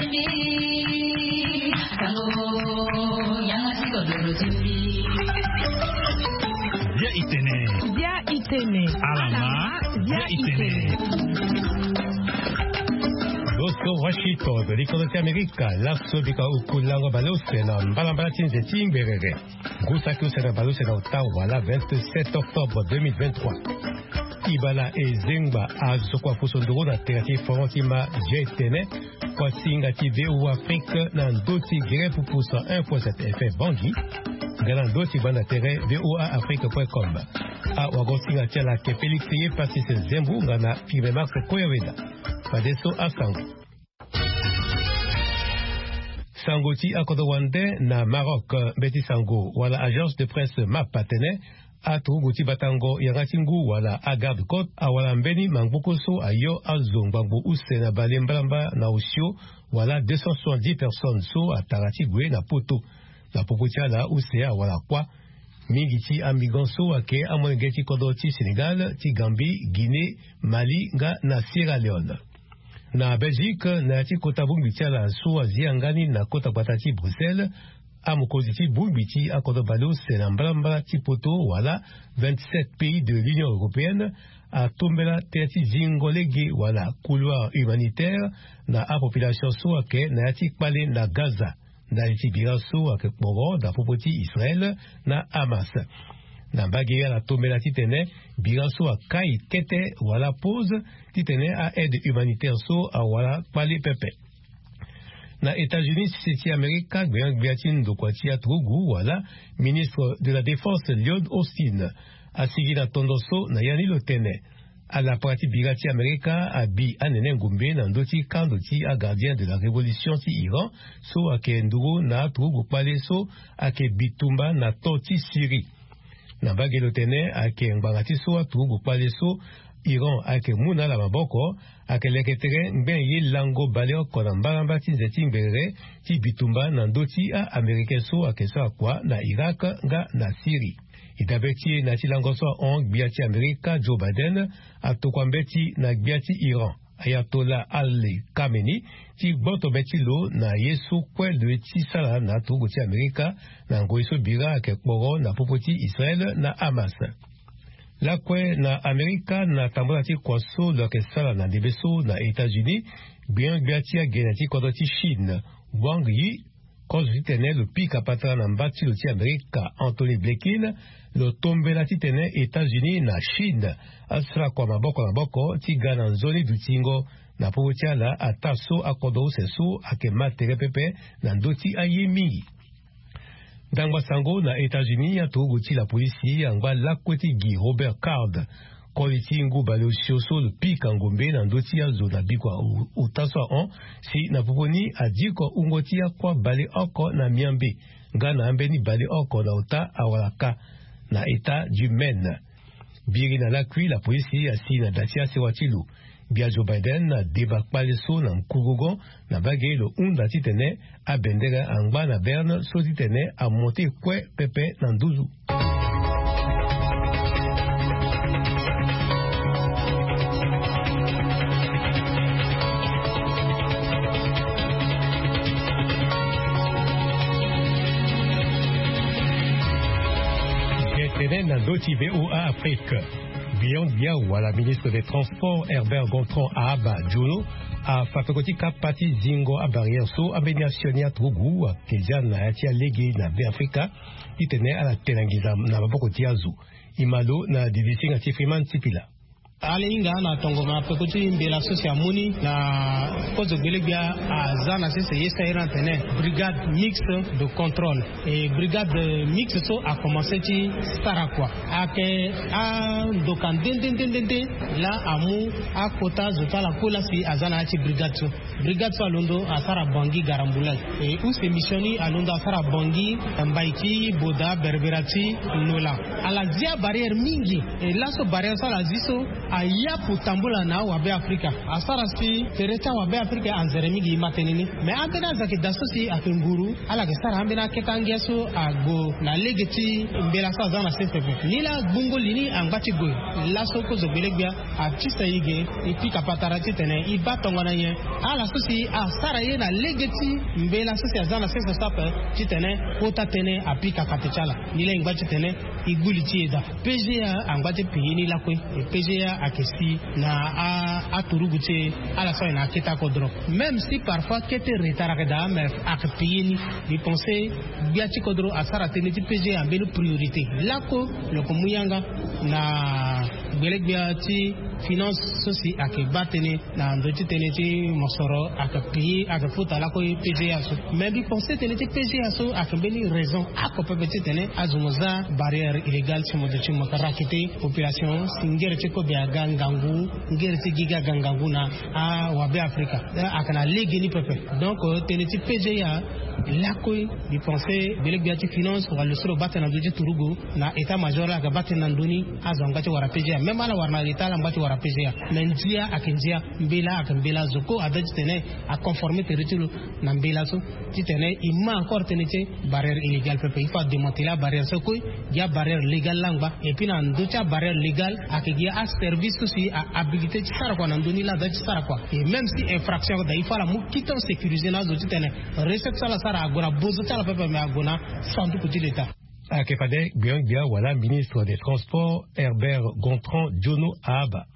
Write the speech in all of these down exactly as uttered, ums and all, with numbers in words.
Bia itene. Bia itene. Alama. Bia itene. Loso Washington, likodo ti Amerika, laso bika uku lango baleuse na mbalambala ti nze ti ngberere. Ngu saki use na baleuse na ota wala vingt-sept octobre deux mille vingt-trois. Ibala ezengba azo kua fuso nduru na tera ti foron ti ma je tene. Kua singa ti V O A Afrique na ndo ti gere pupu cent un point sept F M Bangui. Nga na ndo ti banda tere V O A Afrique point com. Awago singa ti ala ke Félix ye Pacis Zembu nga na Firme Max Koyoveda. Fadeso asango. Sango ti akodro wande na Maroc, mbeti sango wala agence de presse map atene aturugu ti batango yanga ti ngu wala agarde côte awara mbeni mangboko so ayo azo ngbangbo use na bale mbalambala na osio wala deux cent soixante-dix personnes so atara ti gue na poto. Na popo ti ala use awara kuâ mingi ti amigrant so ayeke amolenge ti kodro ti Sénégal, ti Gambie, Guinée, Mali nga na Sierra Leone. Na Belgique, na ya ti kota bongbi ti ala so azi yanga ni na kota gbata ti Bruxelles, amokonzi ti bongbi ti akodro baleuse na mbalambala ti poto wala vingt-sept pays de l'Union européenne atombela tere ti zingo lege wala couloir humanitaire na apopulation so ayeke na ya ti kpale na Gaza. Ndali ti bira so ayeke kporo na popo ti Israël na Hamas. Na mbage ala tombela titene bira so akai kete wala pause titene a-aide humanitaire so awara kpale pepe. Na États-Unis, sese ti Amerika, gbia-gbia ti ndokua ti aturugu wala ministre de la Défense Lloyd Austin asigi na tondo so na ya ni lo tene alapara ti bira ti Amerika abi anene ngombe na ndö ti kando ti agardien de la révolution ti Iran so ayeke nduru na aturugu kpale so ayeke bitumba na to ti Syrie. Na mbage lo tene ayeke ngbanga ti so aturugu kpale so Iran ayeke mu na ala maboko ayeke leke tere ngben ye lango baleoko na mbalambala ti nze ti ngberere ti bitumba na ndö ti a-Américain so ayeke sara kua na Irak nga na Syrie. E dabe ti e na ya ti lango so ahon gbia ti Amerika Joe Biden atokua mbeti na gbia ti Iran Ayatollah Ali Khamenei ti gboto be ti lo na ye so kue lo ye ti sara na aturugu ti Amerika na ngoi so bira ayeke kporo na popo ti Israel na Hamas. Lakue na Amerika na tambula ti kua so lo yeke sara na ndembe so na États-Unis, gbia-gbia ti agene ti kodro ti Chine, Wang Yi, kozo titene lo pika patara na mba ti lo ti Amerika, Antony Blinken, lo tombela titene États-Unis na Chine asara kua maboko na maboko ti ga na nzoni dutingo na popo ti ala ataa so akodro use so ayeke ma tere pepe na ndö ti aye mingi. Ndangba sango na États-Unis, aturugu ti lapolisi angba lakue ti gi Robert Card, koli ti ngu baleosio so lo pika ngombe na ndö ti azo na bikua ota so ahon, si na popo ni adiko wungo ti akua baleoko na miambe nga na ambeni baleoko na ota awalaka na État du Maine. Biri na lakui, lapolisi asi na da ti asewa ti lo. Gbia Joe Biden adeba kpale so na nkurugo na mbage lo hunda titene abendere angba na berne so titene amonte kue pepe na nduzu. Tene na ndö ti V O A Afrique. Beyond Biao wala ministre des transports Herbert Gontran ahaba Djono afa peko ti kapa ti zingo abarrière so ambeni asioni aturugu ayeke zia na ya ti alege na Beafrika titene ala te na nginza na maboko ti azo. E ma lo na didisinga ti Freeman Sipila. Ala hinga na tongana peko ti mbela so si amu ni na kozo gbelegbia aza na sese ye so a iri atene brigade mixte de contrôle. E brigade mixte so akomanse ti sara kua ayeke andoka nde nde nde nde nde. Laa amu akota zo ti ala kue laa si aza na ya ti brigade so. Brigade so alondo asara Bangui Garambulal. E use mission ni alondo asara Bangui, Mbaïki, Boda, Berbera ti Nola. Ala zi abarrière mingi. E laso barrière so ala zi so Ayapu tambula na awabe afrika. Asara si tere ti awabe afrika anzere mingi e ma tënë ni. Me ambeni aza yeke daa so si ayeke nguru, ala yeke sara ambeni akete angia so ague na lege ti mbela so aza na sese pe. Nilaa gbungo li ni angba ti gue. Laso kozo gbelegbia atisa e ge, e pika patara titene e baa tongana nyen. Ala so si asara ye na lege ti mbela so si aza na sese so ape, titene kota tënë apika kate ti ala. Nilaa e ngba titene e gbu li ti e daa. P G A angba ti payer ni lakue. E P G A ayeke si na a- aturugu ti e. Ala so ayeke na akete akodro, même si parfois kete retard ayeke daa, mais ayeke payer ni. Mbi pense gbia ti kodro asara tënë ti P G A ambeni priorité. Lako lo yeke mu yanga na gbelegbia ti finance so si ayeke baa tënë na ndö ti tënë ti mosoro, ayeke payer, ayeke futa lako P G A so. Mais mbi pense tënë ti P G A so ayeke mbeni raison oko pepe titene azo mo za barrière illégale si mo duti mo yeke rakete population si ngere ti kobe aga ngangu, ngere ti gigi aga ngangu na awabe afrika. Ayeke na lege ni pepe. Donc tënë ti P G A lakue, mbi pense gbelegbia ti finance wala lo so lo baa tënë na ndö ti turugu na état major la ayeke baa tënë na ndö ni. Azo angba ti wara P G A, même ala wara na état ala ngba ti wara P G A. Mais ndia ayeke ndia, mbela ayeke mbela. Zo kue ada titene aconforme tere ti lo na mbela so, titene e ma encore tënë ti barrière illégale pepe. Il faut adémanteler abarrière so kue, gi abarrière légale la angba. Et puis na ndö ti abarrière légale ayeke gi aservice so si ahabilité ti sara kua na ndö ni la ada ti sara kua. Et même si infraction ayeke daa, il faut ala mu quittance sécurisé na azo titene recette so ala sara ague na bozo ti ala pepe, mais ague na sanduku ti l'état. Ayeke fade gbia-gbia wala ministre des transports Herbert Gontran Djono Ahaba.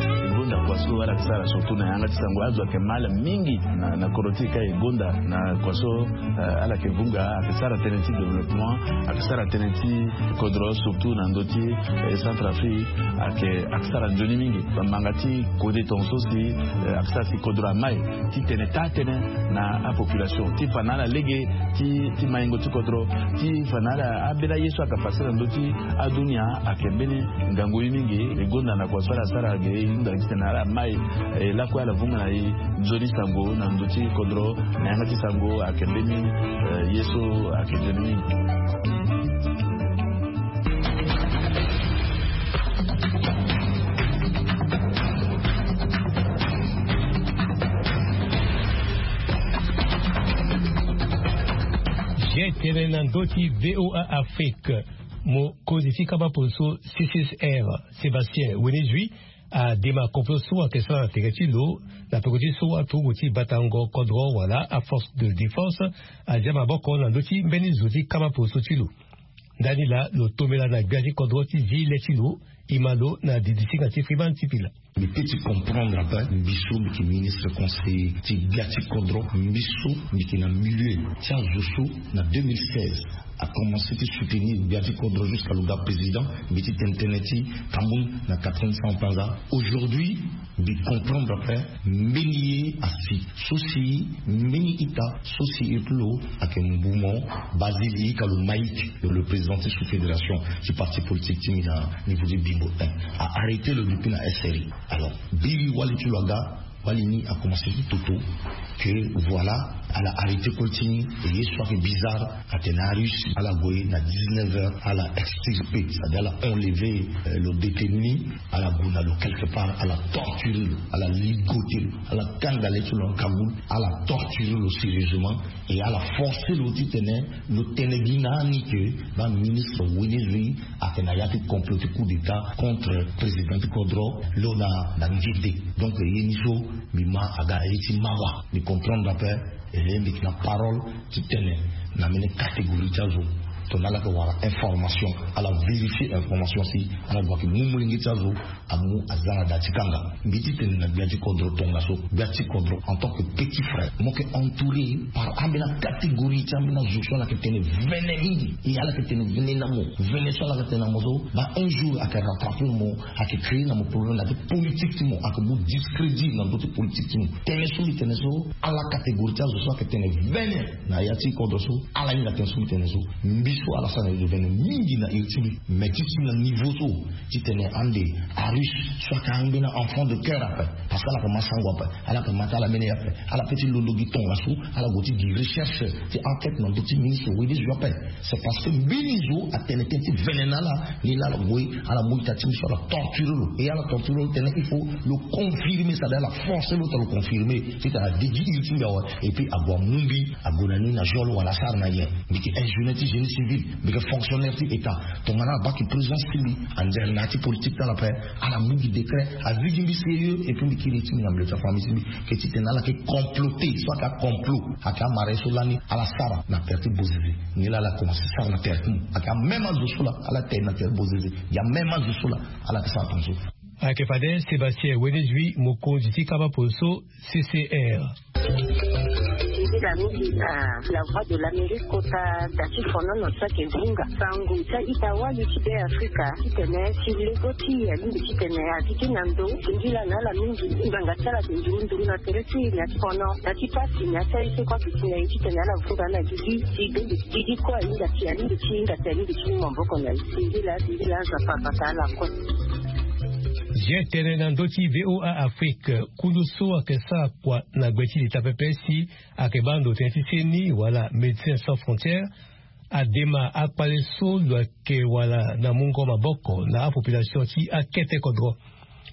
E gonda kua so ala yeke sara surtout na yanga ti sango, azo ayeke mal mingi na, na kodro ti e ka e gonda na kua so, eh, ala yeke vunga, ayeke sara tënë ti développement, ayeke sara tënë ti kodro surtout na ndö ti, eh, Centrafrique, ayeke, ayeke sara nzoni mingi. Bamanga ti kode tongaso si, eh, ayeke sara si kodro amai titene taa tënë na apopulation ti fa na ala lege ti, ti maingo ti kodro, ti fa na ala ambeni aye so ayeke pase na ndö ti adunia. Ayeke mbeni ngangu ye mingi. E gonda na kua so ala sara ge, e hunda titene ala mai, e lakue ala vunga na e nzoni sango na ndö ti kodro na yanga ti sango. Ayeke mbeni, eh, ye so ayeke nzoni mingi. Ge tene na ndö ti V O A Afrique, mokonzi ti kama polo so C C S R, Sébastien Wenezui, adema complot so ayeke sara na tere ti lo na peko ti so aturugu ti batango kodro wala aforce de défense azia maboko na ndö ti mbeni zo ti kama polo so ti lo. Ndani laa lo tombela na gbia ti kodro ti zi le ti lo, e ma lo na didi singa ti Freeman Tipila. Mbi peut ti comprendre ape, mbi so mbi yeke ministre conseiller ti gbia ti kodro, mbi so mbi yeke na milieu ti azo so na deux mille seize a commencé ti soutenir gbia ti kodro jusqu'à lo ga président. Mbi ti tene tënë ti Cameroun na Catherine Samba-Panza. Aujourd'hui mbi comprendre ape mbeni ye asi so si mbeni ita so si e ti lo ayeke mbu mo, Basile Ika Lomaïk, lo le président ti sous-fédération ti parti politique ti mbi na niveau ti Bimbo un, a arrêté lo depuis na S R I. Alors biri wali ti lo aga, wali ni a commencé ti toto que voilà, ala arrêté koli ti ni. E ye so ayeke bizarre, atene aRusse ala gue na dix-neuf heures, ala extirpé, c'est-à-dire ala enlevé, euh, lo détenu ni, ala gue na lo quelque part, ala torturé lo, ala ligoté lo, ala kanga le ti lo na kagoule, ala torturé lo sérieusement, et ala forcé lo titene lo tene gi na ni que baministre Wenezui ayeke na ya ti complot ti coup d'état contre président ti kodro, lo na, na ngende. Donc ye ni so mbi ma aga ye ti mawa. Mbi comprendre ape. E mbi yeke na parole ti tene na mbeni catégorie ti azo, tongana ala yeke wara information, ala vérifier information si ala gue ayeke mu molenge ti azo amu aza na da ti kanga. Mbi ti tene na gbia ti kodro tongaso, gbia ti kodro en tant que petit frère, mo yeke entouré par ambeni acatégorie ti ambeni azo so ala yeke tene vene mingi. E ala yeke tene vene na mo, vene so ala yeke tene na mo so, ba un jour ayeke rattrapé mo, ayeke créé na mo problème na ya ti politique ti mo, ayeke mu discrédit na ndö ti politique ti mo. Tënë so mbi tene so, ala catégorie ti azo so ayeke tene vene na ya ti kodro so, ala hinga tënë so mbi tene so. Mbi So ala sara na revenu mingi na iri ti mbi. Mais ti si na niveau so titene ande arus so aka angbe na enfant de cœur ape, parce que ala pe ma sango ape, ala pe ma ti ala mene ape. Ala pe ti londo gi tongaso, ala gue ti gi recherche ti enquête na ndö ti ministre wede zo ape. C'est parce que mbeni zo atene tënë ti vene na ala. Ni laa ala gue, ala mu ita ti mbi so ala torture lo, e ala torture lo tene il faut lo confirmer, c'est-à-dire ala forcer lo tene lo confirmer titene ade gi iri ti mbi awe. Et puis ague amu mbi ague na ni na geol wala asara na nyen. Mbi yeke un jeune ti génie civil, mbi yeke fonctionnaire ti état. Tongana abaa ki présence ti mbi anzere na ya ti politique ti ala ape, ala mu gi décret, azigi mbi sérieux. Et puis mbi kiri ti mbi na mbi le ti afamille ti mbi ke titene ala ke comploter so aka complot aka amara ye so lani ala sara na terre ti Bozizé. Ni laa ala commencer sara na terre ti mo aka même azo so laa ala tere na terre Bozizé. Ya même azo so laa ala ke sara tongaso. Ayeke fade Sébastien Wenezui, mokonzi ti kaba polo so C C R. Nzila mingi na La Voix de l'Amérique kota da ti fonono so ayeke hunga sango ti a-ita wali ti Be Afrika titene ti lego ti e alingbi titene atiki na ndo. Singila na ala mingi ngbanga ti ala ayeke nduru nduru na tere ti e na ya ti fono na ya ti pasi na ya ti aye so kue ayeke si na ye titene ala vunga na gigi ti gigi kue ahinga ti alingbi ti hinga ti alingbi ti mu maboko na ye. Singila singila azo afa abata ala kue. Zia tënë na ndö ti V O A Afrique, kundu so ayeke sara kua na gbe ti leta pepe si ayeke baa ndo tënë ti seni wala Médecins Sans Frontières adema akpale so lo yeke wala na mungo maboko na apopulation ti akete kodro.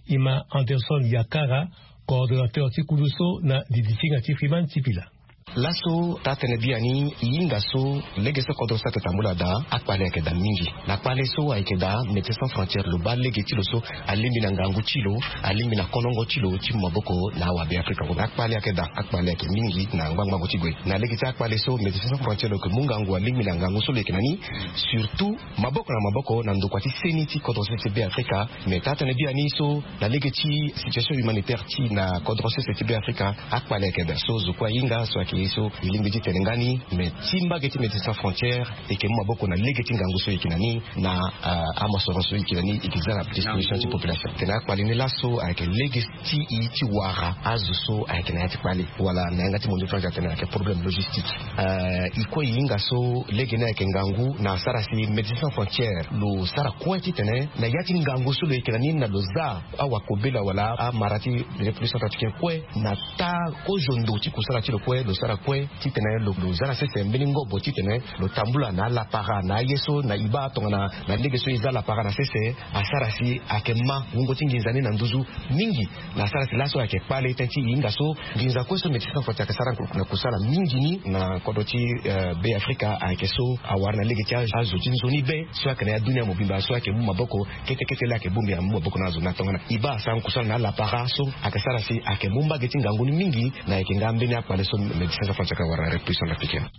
E ma Anderson Yakara, coordonnateur ti kundu so na didisinga ti Freeman Sipila. Laso taa-tënë biani e hinga so lege so kodro so ayeke tambula daa, akpale ayeke daa mingi. Na kpale so ayeke daa, Médecins Sans Frontières lo baa lege ti lo so alingbi na ngangu ti lo, alingbi na konongo ti lo ti mu maboko na awabe Afrika. Akpale ayeke daa, akpale ayeke mingi na ngbangbango ti gue. Na lege ti akpale so Médecins Sans Frontières lo yeke mu ngangu alingbi na ngangu so lo yeke na ni, surtout maboko na maboko na ndokua ti seni ti kodro sese ti Be Afrika. Mais taa-tënë biani so na lege ti situation humanitaire ti na kodro sese ti Be Afrika, akpale ayeke daa. So zo kue ahinga so ayeke ye so e lingbi ti tene nga ni, mais ti mbage ti Médecins Sans Frontières e yeke mu maboko na lege ti ngangu so e yeke na ni na, ah, amosoro so e yeke na ni, e yeke za na disposition ti population. Tene akpale ni laso ayeke lege ti e ti wara azo so ayeke na ya ti kpale wala na yanga ti mondio France atene ayeke problème logistique. Euh, e kue e hinga so lege ni ayeke ngangu na asara si Médecins Sans Frontières lo sara kue titene na ya ti ngangu so lo yeke na ni na lo za awakobela wala amara ti République Centrafricaine kue na taa kozo ndo ti kusala ti lo kue, lo sara kue titene lo, lo za na sese mbeni ngobo titene lo tambula na alapara na aye so na e baa tongana na lege so e za lapara na sese asara si ayeke ma wungo ti nginza ni na nduzu mingi. Na asara si laso ayeke kpale tënë ti e hinga so nginza kue so Médecins Sans Frontières ayeke sara na kusala mingi ni na kodro ti, eh, Be Afrika ayeke so awara na lege ti azo ti nzoni be so ayeke na ya dunia mobimba so ayeke mu maboko kete kete laa ayeke bongbi amu maboko na azo na tongana e baa asara kusala na alapara so ayeke sara si ayeke mu mbage ti ngangu ni mingi na ayeke nga mbeni akpale so Médecins Sans Frontières ayeke wara na République Centrafricaine.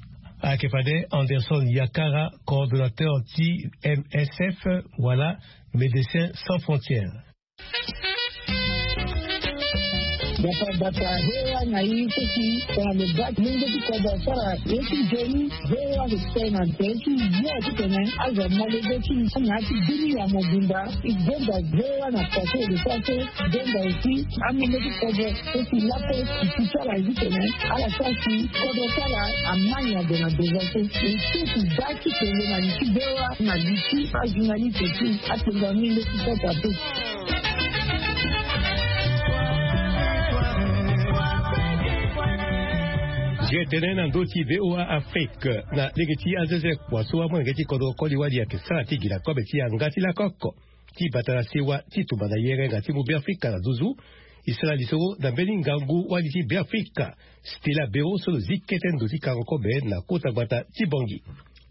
Ayeke fade Anderson Yakara, coordonnateur ti M S F wala Médecins Sans Frontières. Bata bata V O A na e so si tongana lo baa ti lenge ti kodro asara ye ti nzoni, V O A ayeke tene na tere ti ye titene azo amolenge ti na ya ti dunia mobimba. E gonda V O A na poto e lo sara so gonda aussi amolenge ti kodro so si lape e si ti ala ye titene ala sara si kodro ti ala ama nyango na devant so. E so si baa ti tene na li ti V O A na li ti ajournaliste ti atonga mingi ti sota pe. Zia tënë na ndö ti V O A Afrique na lege ti azeze kua so amolenge ti kodro koli wali ayeke sara ti gi na kobe ti yanga ti lakoko ti bata na sewa ti tumba na yere nga ti mu Beafrika na nduzu. E sara lisoro na mbeni ngangu wali ti Beafrika, Stella Bero so lo zi kete ndo ti kango kobe na kota gbata ti Bangui.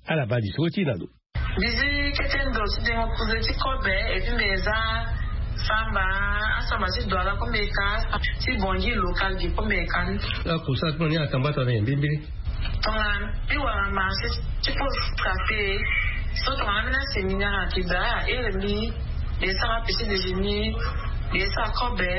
Ala baa lisoro ti e na lo. Mbi zi kete ndo ti dengo kuze ti kobe, et puis mbi za samba, asamba ti Douala kue mbi ka, ti Bangui local gi kue mbi ka ni. Akusala ti mo ni atambata na nyen mbimbili? Tongana mbi wara marché ti pose café, so tongana mbi na séminaire ayeke daa, ahere mbi, mbi sara petit déjeuner, mbi sara kobe,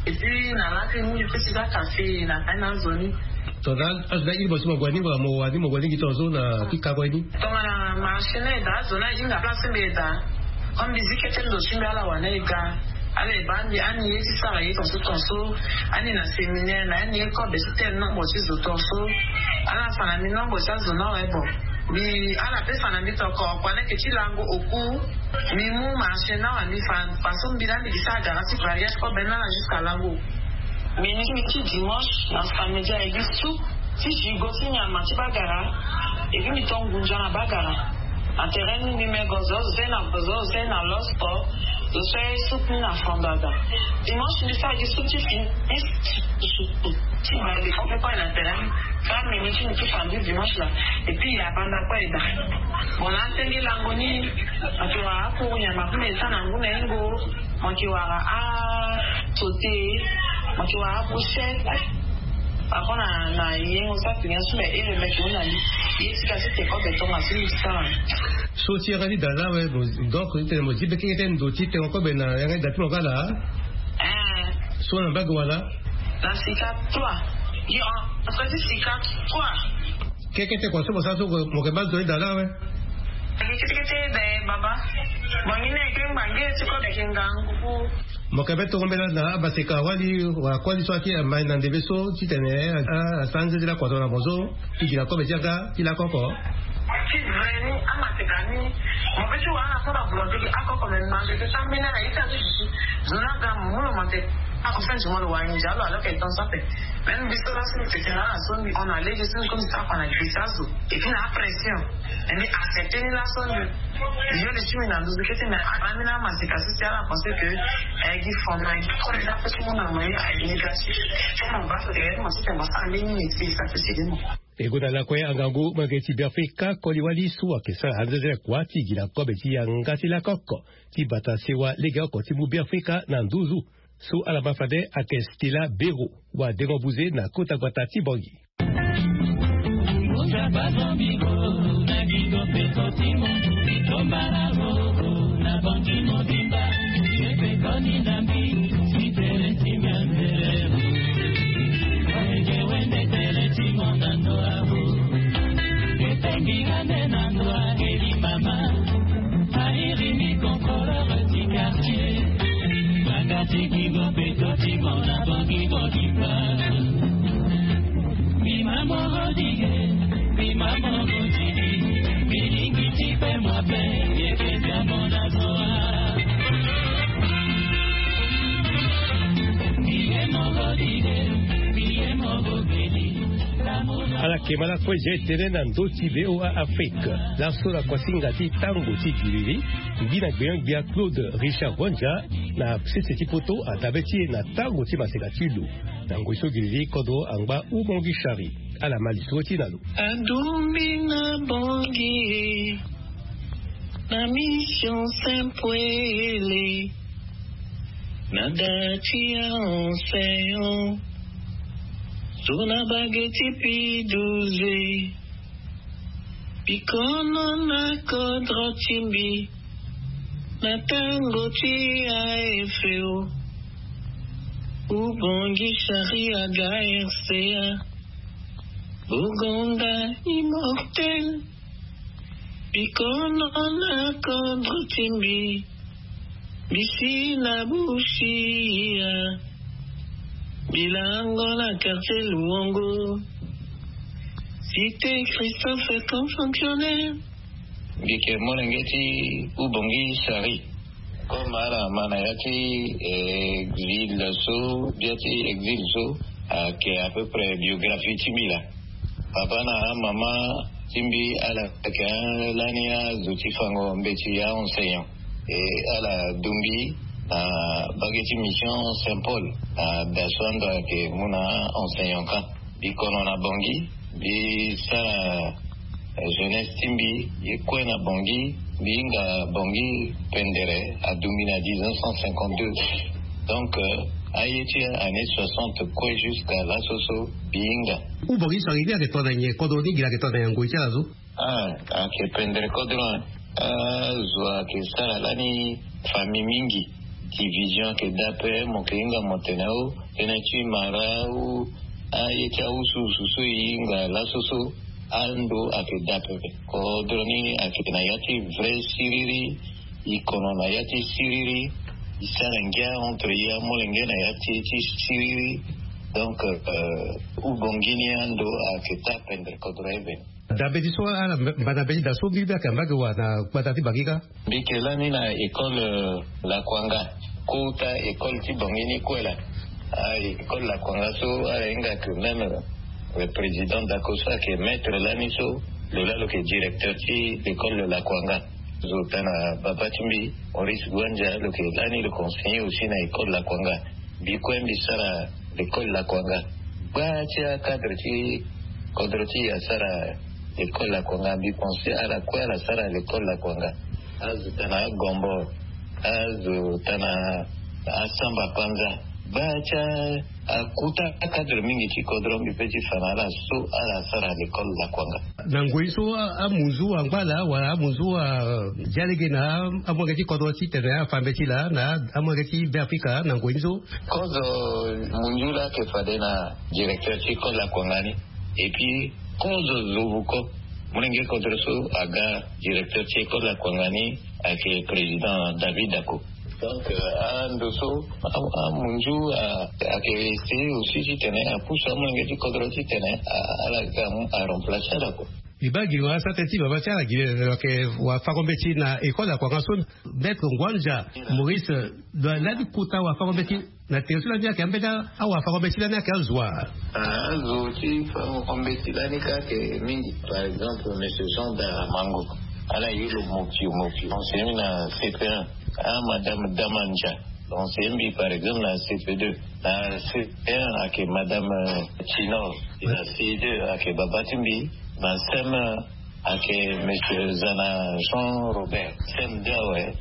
et puis na lakui ni mbi peut ti za café na kai na azo ni. Tongana azo ni airi mo so mo gue ni, wala mo wani mo gue ni gi tongaso na ti kango ye ni? Tongana marché ni ayeke daa, azo ni ahinga place ti mbi ayeke daa. Comme mbi zi kete ndo ti mbi ala wani ayeke ga. Ala yeke baa mbi ani ye ti sara ye tongaso tongaso. Ani na séminaire na ani ye kobe ti tene nombre ti zo tongaso. Ala fa na mbi nombre ti azo ni awe bon. Mi ala pesa na mbi toko kua leke ti lango oku. Mi mu marché na wa mi fa faso mbi la mbi gi sa gara ti variage kobe na ala jusqu'à lango. Mi ni mi ti dimanche na samedi aye gi su ti jigo ti nyama ti bagara. Epi mi to ngunza na bagara na terrain ni mbi me gozo ose na gozo ose na losko. Zo so aye su ni na fondada. Dimanche mbi sa gi su ti fini ti bale fo pe koye na terrain. Fa mini ti mi ti fandi dimanche la. Epi ya banda koye da. Bon na senge lango ni. Ati wa akuru nyama kuna esa na ngu na engo. Mo yeke wara asote. Mo yeke wara apochette. Ako na na yengo sa tene asu me ele meke hunda ni. Ye ti kasi te kobe tonga si mi sara. So ti yanga ti da la awe. Donc ti tene mo zi be keke ti ndo ti tengo kobe na yanga ti da ti mo kala. So na mbage wala. Na sika trois. Yo. Aso ti sika trois. Keke ti kua so mo sara so mo yeke baa zo ti da la awe. Kete kete be baba. Mo ngi na eke ngbange ti kobe yeke ngangu. Mo yeke be tongo mbela na abaseka wali wala koli so ake amai na ndembe so ti tene. Asara nzenzela kua so na mo so ti gi na kobe ti yanga ti lakoko. Ti vrai ni amaseka ni. Mo pe ti wara na so na volonté gi akoko me mange ke sa mbeni ala ita ti duti. Zo na ga mo mu lo mo te. Ako fin du mois lo wangi nzia lo alors que temps so ape. Même biso laso mbi tete na ala so mbi hon na lege so mbi komi sara kua na gbisa azo. Et puis na apression. Mbi accepte ni laso mbi. Yo le ti mbi na nduzu kete me abaa mbi na amaseka so si ala pense que aye gi fondement aye gi koli na pe ti mu na moyen aye négatif. Ti mo baa so tene mo ti tene mo sara mbeni métier sa pe ti gi mo. E gonda lakue angangu molenge ti Beafrika koli wali so ayeke sara anzenzele kua ti gi na kobe ti yanga ti lakoko ti bata sewa legeoko ti mu Beafrika na nduzu. So ala ma fade ayeke Stella Bero wadengo buze na kota gbata ti Bangui. Ala yeke ma lakue zia e tene na ndö ti V O A Afrique. Laso na kuasinga ti tango ti giriri, mbi na gbenyo-gbia Claude Richard Ronja na sese ti poto adabe ti e na tango ti maseka ti lo. Na ngoi so giriri kodro angba Ubongi Chari. Ala ma lisoro ti e na lo. Adumbi na Bangui e, na mission Saint Poele, na da ti a enseignant, so na bage ti P douze. Bikono na kodro ti mbi, na tango ti A F O, Ubongi Chari aga R C A, Bogonda immortel. Bikono na kodro ti mbi, mbi si na Busia, mbi lango na quartier Luongo, cité Christophe comme fonctionnaire. Mbi yeke molenge ti Ubongi Chari. Comme ala ma na ya ti exil so, bia ti exil so ayeke à peu près biographie ti mbi laa. Papa na amama ti mbi ala yeke lani azo ti fango mbeti a enseignant. E ala dungbi na bage ti mission Saint Paul na da so ando ayeke mu na enseignant kâ. Mbi kono na Bangui, mbi sara jeunesse ti mbi ye kue na Bangui. Mbi hinga Bangui pendere adungbi na dix-neuf cent cinquante-deux. Donc aye ti année soixante kue jusqu'à laso so mbi hinga. Ubongi Chari ni ayeke to na nyen? Kodro ni gi la ayeke to na nyen na ngoi ti ala so? Ah, ayeke pendere kodro. Azo ayeke sara lani famille mingi. Division ayeke daa ape, mo yeke hinga mo tene o tënë ti mara ou aye ti awusuwusu so e hinga laso so. Ando ayeke daa pepe. Kodro ni ayeke na ya ti vrai siriri. E kono na ya ti siriri. E sara ngia entre e amolenge na ya ti ti siriri. Donc Ubongi ni ando ayeke taa pendere kodro aye bene. Dabe ti so ala mbana mbeti da so mbi mbi ake ambage wa na gbata ti bangi kâ. Mbi ke lani na école lakuanga, kota école ti bangi ni kue laa. A école lakuanga so ala hinga ke même président dako so ake maître lani so, lo laa lo ke directeur ti l'école lakuanga. Zo tana baba ti mbi, Maurice Guanja, lo ke lani lo ke enseigner aussi na école lakuanga. Mbi kue mbi sara l'école lakuanga. Gba ti acadre ti kodro ti e asara école lakuanga. Mbi pense ala kue ala sara l'école lakuanga. Azo tana agombo, azo tana asamba panza. Gba ti akuta acadre mingi ti kodro mbi pe ti fa na ala so ala sara l'école lakuanga. Na ngoi so amunzu angba laa wala amunzu ajalege na amolenge ti kodro ti tene afa mbeti laa na amolenge ti be afrika na ngoi ni so. Kozo munzu laa ake fade na directeur ti école lakuanga ni. Et puis kozo zovuko, molenge kodro so aga directeur ti école lakuanga ni ake président David Dako. Donc ando so amunzu ake essayer aussi ti tene apusu amolenge ti kodro ti tene ala ga aremplacer ala kua. Mbi baa giri wa asara tënë ti baba ti ala giri ayeke wafango mbeti na école akuanga so. Maître Ngwanja Maurice, lani kota wafango mbeti na tere so lani ayeke ambeni awafango mbeti lani ayeke azo wa? Azo ti fango mbeti lani kâ ayeke mingi. Par exemple monsieur Jean Daramango, ala ye lo mopio mopio, enseigne mbi na C P un. Ah madame Damanja, enseigne mbi par exemple na C P deux. Na C un ayeke madame Tinor. Na C deux ayeke baba ti mbi. Na C M un ayeke monsieur Zana Jean Robert. C M deux awe.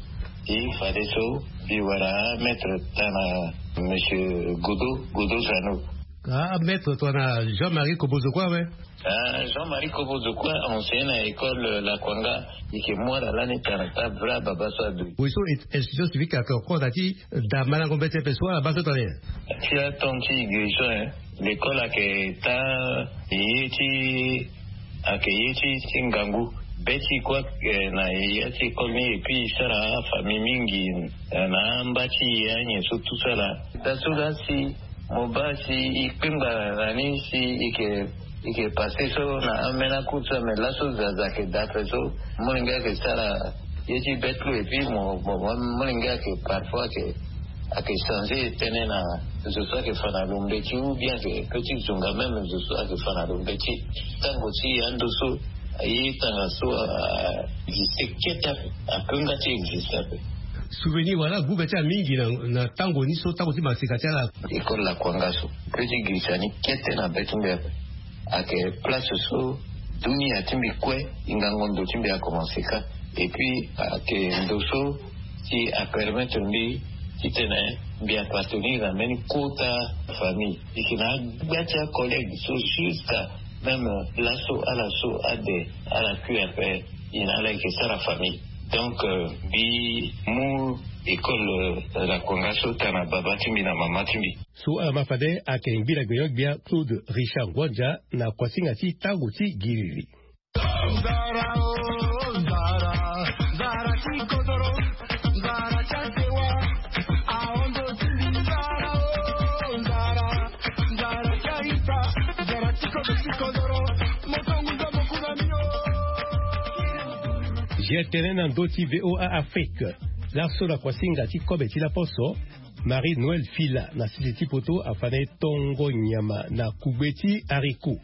E fadeso mbi wara maître tana monsieur Godo, Godo Zano. Ah maître tongana Jean Marie Kobozo kue awe. Ah Jean Marie Kobozo kue enseigne na école lakuanga. E yeke mu ala lani tana ta vrai ababa so adu. Oui so institution civique ayeke encore na ti da malango mbeti ape so ala baa so tongana nyen? Ti aton ti igrison. L'école ayeke ta ye ti ayeke ye ti ti ngangu. Be ti kue ayeke na ya ti école ni et puis e sara afamille mingi na amba ti ye anyen so tout ça là. Da so la si mo baa si e kpengba na ni si e yeke e yeke passe so na ambeni akout so mais laso zaza ayeke daa ape so. Molenge ayeke sara ye ti be ti lo et puis mo mo mo molenge ayeke parfois ayeke ayeke changer tënë na zo so ayeke fa na lo mbeti ou bien ayeke pe ti zonga même zo so ayeke fa na lo mbeti. Tango ti ando so aye tanga so a existe kete ape. Ape nga ti existe ape. Souvenir wala agu be ti ala mingi na na tango ni so tango ti maseka ti ala. École lakuanga so pe ti girisa ni kete na be ti mbi ape. Ayeke place so dunia ti mbi kue hingango ndo ti mbi akomanse kâ. Et puis ayeke ndo so si apermettre mbi titene mbi appartenir na mbeni kota famille. E yeke na agba ti acollègue so jusqu'à même laso ala so ade ala kui ape. E na ala e yeke sara famille. Donc mbi mu école lakuanga so tana baba ti mbi na mama ti mbi. So ala ma fade ayeke ngbi na gbia gbia Claude Richard Ngwanja na kuasinga ti tango ti giriri. Zia tënë na ndö ti VOA Afrique. Laso na kuasinga ti kobe ti laposo, Marie Noël Fila na sese ti poto afa na e tongo nyama na kugbe ti haricot.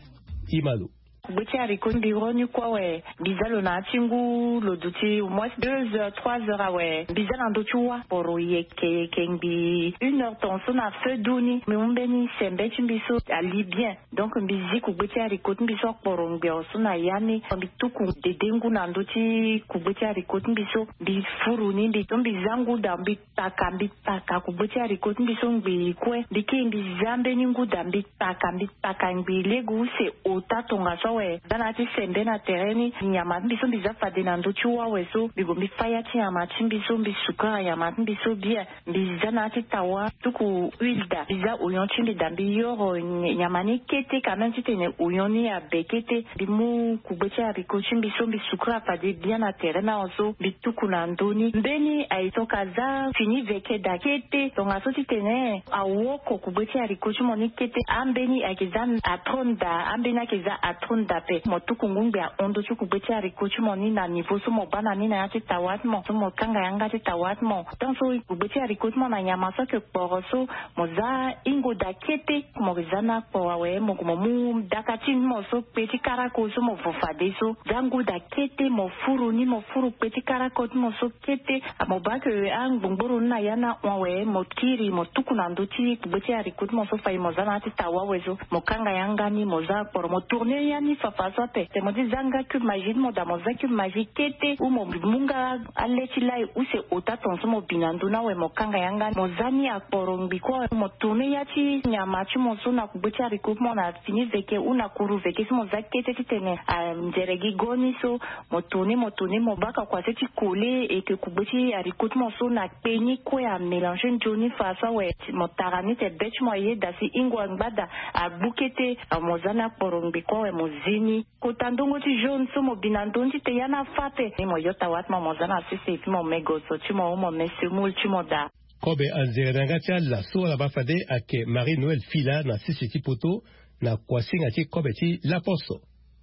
Imalo. Kugbe ti haricot mbi ro ni kue awe. Mbi za lo na ya ti ngu lo duti au moins deux heures trois heures awe. Mbi za na ndö ti wâ poro yeke yeke ngbii une heure tongaso na feu du ni mbi mu mbeni sembe ti mbi so ali bien. Donc mbi zi kugbe ti haricot ti mbi so akporo ngbio so na ya ni mbi tuku dede ngu na ndö ti kugbe ti haricot ti mbi so mbi furu ni mbi so mbi za ngu da mbi taka mbi taka kugbe ti haricot ti mbi so ngbii kue mbi kiri mbi za mbeni ngu da mbi taka mbi taka ngbii lege use ota tongaso awe. Za na ya ti sembe na tere ni nyama ti mbi so mbi za fade na ndö ti wâ awe so mbi gue mbi fâ ya ti nyama ti mbi so mbi sukara nyama ti mbi so bien. Mbi za na ya ti tawa tuku huile da mbi za oyon ti mbi da mbi yoro nyama ni kete quand même titene oyon ni abe kete. Mbi mu kugbe ti haricot ti mbi so mbi sukura fade bien na tere ni awe so mbi tuku na ndö ni mbeni aye so ka za fini veke da kete tongaso titene awoko kugbe ti haricot ti mo ni kete ambeni ayeke za atron da ambeni ayeke za atron. Dape mo tuku ngungbi ahon ndö ti kugbe ti haricot ti mo ni na niveau so mo baa na ni na ya ti tawa ti mo so mo kanga yanga ti tawa ti mo. Tant so kugbe ti haricot ti mo na nyama so ayeke kporo so mo za hingo daa kete. Mo za ni akporo awe mo gue mo mu daka ti ni mo so kpe ti karako so mo vo fade so. Za ngu daa kete mo furu ni mo furu kpe ti karako ti mo so kete. Mo baa ke angbongboro ni na ya ni ahon awe mo kiri mo tuku na ndö ti kugbe ti haricot ti mo so fade mo za na ya ti tawa awe so. Mo kanga yanga ni mo za akporo mo tourner ya ni fafa so ape. Te mo ti za nga cube magie ti mo daa mo za cube magie kete ou mo mu nga ale ti lai use ota ton so mo bi na ndö ni awe mo kanga yanga ni mo za ni akporo ngbi kue awe mo tourner ya ti nyama ti mo so na kugbe ti haricot ti mo na fini veke ou na kuru veke so mo za kete titene anzere gi go ni so. Mo tourner mo tourner mo baka kua se ti kole eke kugbe ti haricot ti mo so na kpe ni kue amélanger nzoni fa so awe. Mo tara ni te be ti mo ayeda si hingo angba daa agbu kete. Mo za ni akporo ngbi kue awe mo zi ni kota ndongo ti jaune so mo bi na ndö ni titene ya ni afa ape. Ni mo yo tawa ti mo mo za na sese ti mo me goso ti mo ou mo me semoule ti mo daa. Kobe anzere na yanga ti ala so ala baa fade ayeke Marie Noël Fila na sese ti poto na kuasinga ti kobe ti laposo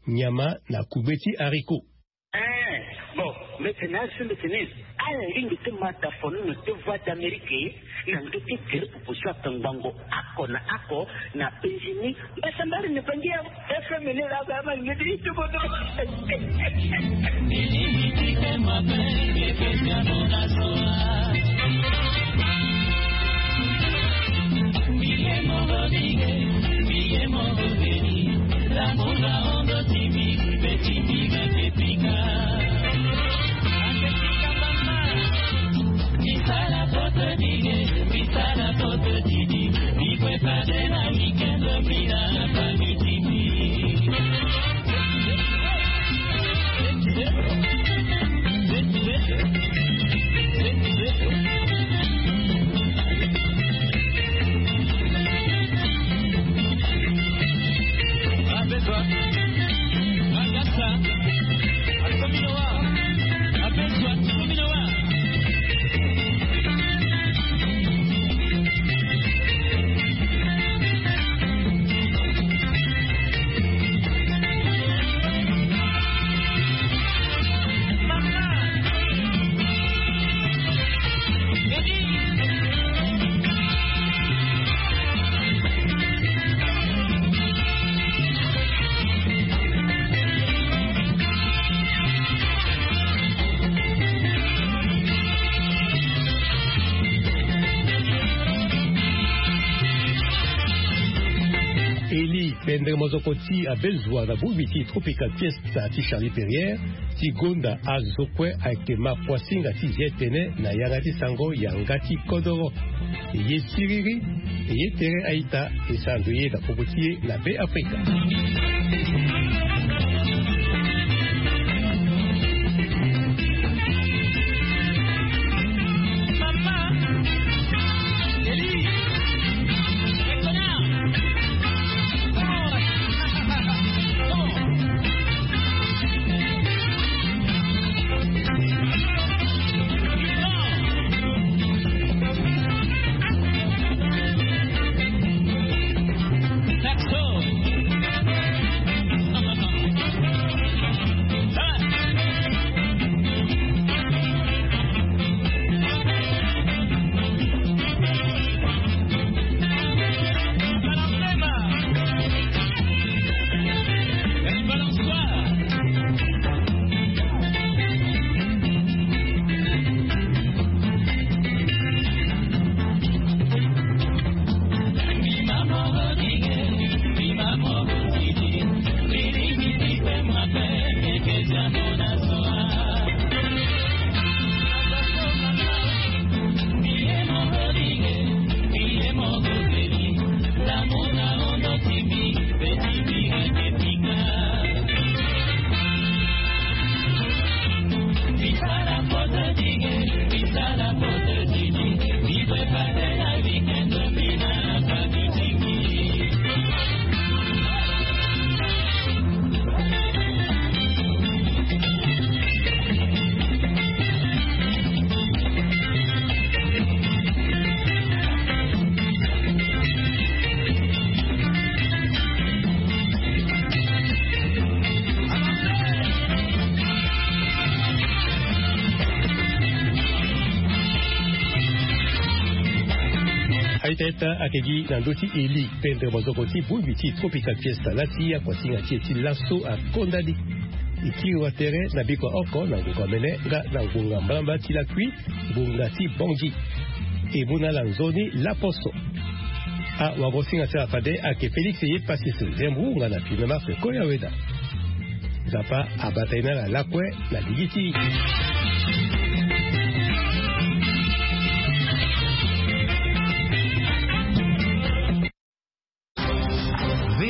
nyama na kugbe ti haricot. Eh, bon, mbeti ni asi mbeti ni. Ala lingbi ti ma da fono na deux voix d'Amérique na ndö ti gere proposition ake ngbongo oko na oko na penzi ni. Mbasambari ni bangi ya F M ni la ba ma ngeti itu bodo. Eli pendere mozoko ti abelzua na bongbi ti Tropical Fiesta ti Charlie Perrier ti gonda azo kue ayeke ma kuasinga ti zi tene na yanga ti sango yanga ti kodoro. Ye siriri ye tere a-ita. Esara ndo ye na popo ti ye na Be Afrika. Teta ake gi na ndö ti eli pendre mozoko ti bongbi ti tropical fiesta laa ti akuasinga ti e ti laso akonda ni. E tiri watere na biko ya oko na ngonga mene nga na ngonga mbalambala ti lakui, ngonga ti bongi. E mu na ala nzoni laposo. Awagosinga ti ala fade ake Félix ye Pasis Zembrou nga na Firmin Marc Koya Weda. Nzapa abata e na ala lakue na ligi ti e.